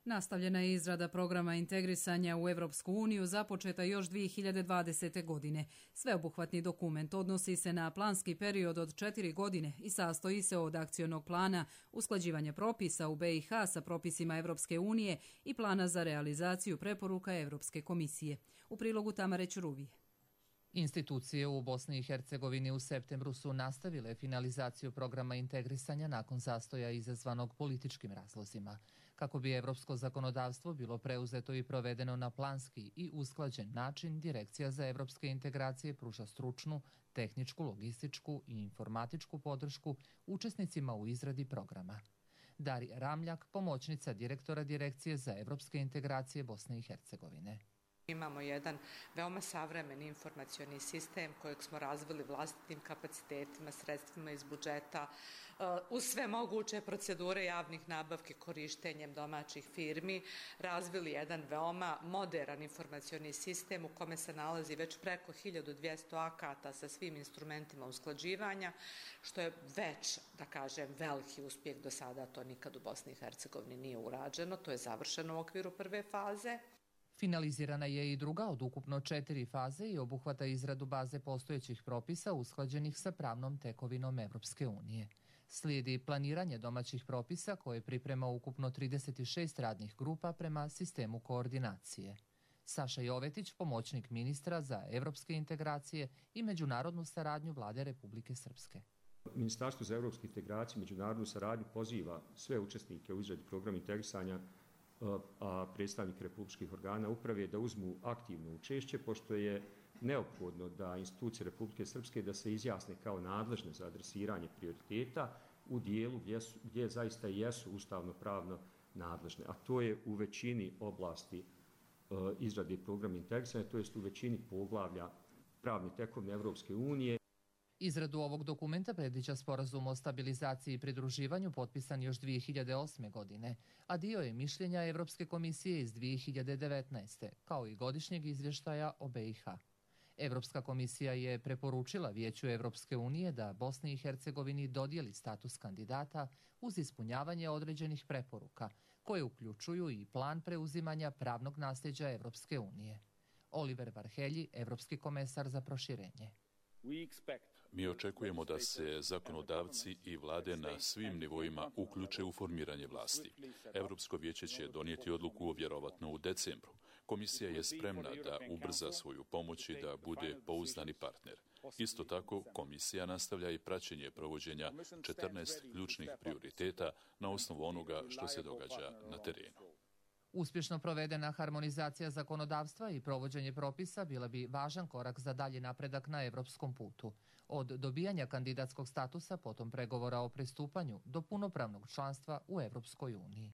Nastavljena je izrada programa integrisanja u Evropsku uniju započeta još 2020. godine. Sveobuhvatni dokument odnosi se na planski period od 4 godine i sastoji se od akcionog plana, usklađivanja propisa u BiH sa propisima Evropske unije i plana za realizaciju preporuka Evropske komisije. U prilogu Tamare Ćuruvije. Institucije u Bosni i Hercegovini u septembru su nastavile finalizaciju programa integrisanja nakon zastoja izazvanog političkim razlozima. Kako bi evropsko zakonodavstvo bilo preuzeto i provedeno na planski i usklađen način, Direkcija za evropske integracije pruža stručnu, tehničku, logističku i informatičku podršku učesnicima u izradi programa. Darija Ramljak, pomoćnica direktora Direkcije za evropske integracije Bosne i Hercegovine. Imamo jedan veoma savremeni informacioni sistem kojeg smo razvili vlastitim kapacitetima, sredstvima iz budžeta, uz sve moguće procedure javnih nabavki korištenjem domaćih firmi, razvili jedan veoma moderan informacioni sistem u kome se nalazi već preko 1200 akata sa svim instrumentima usklađivanja, što je već, da kažem, veliki uspjeh do sada, to nikad u Bosni i Hercegovini nije urađeno, to je završeno u okviru prve faze. Finalizirana je i druga od ukupno 4 faze i obuhvata izradu baze postojećih propisa usklađenih sa pravnom tekovinom Evropske unije. Slijedi planiranje domaćih propisa koje priprema ukupno 36 radnih grupa prema sistemu koordinacije. Saša Jovetić, pomoćnik ministra za evropske integracije i međunarodnu saradnju Vlade Republike Srpske. Ministarstvo za evropske integracije i međunarodnu saradnju poziva sve učesnike u izradi programa integrisanja, a predstavnike republičkih organa uprave da uzmu aktivno učešće, pošto je neophodno da institucije Republike Srpske da se izjasne kao nadležne za adresiranje prioriteta u dijelu gdje zaista jesu ustavno-pravno nadležne, a to je u većini oblasti izrade programa integrisanja, to jest u većini poglavlja pravne tekovine Evropske unije. Izradu ovog dokumenta predviđa sporazum o stabilizaciji i pridruživanju potpisan još 2008. godine, a dio je mišljenja Evropske komisije iz 2019. kao i godišnjeg izvještaja o BiH. Evropska komisija je preporučila Vijeću Evropske unije da Bosni i Hercegovini dodijeli status kandidata uz ispunjavanje određenih preporuka, koje uključuju i plan preuzimanja pravnog nasljeđa Evropske unije. Oliver Varhelji, evropski komesar za proširenje. Mi očekujemo da se zakonodavci i vlade na svim nivoima uključe u formiranje vlasti. Evropsko vijeće će donijeti odluku vjerovatno u decembru. Komisija je spremna da ubrza svoju pomoć i da bude pouzdani partner. Isto tako, komisija nastavlja i praćenje provođenja 14 ključnih prioriteta na osnovu onoga što se događa na terenu. Uspješno provedena harmonizacija zakonodavstva i provođenje propisa bila bi važan korak za dalji napredak na evropskom putu. Od dobijanja kandidatskog statusa, potom pregovora o pristupanju, do punopravnog članstva u Evropskoj uniji.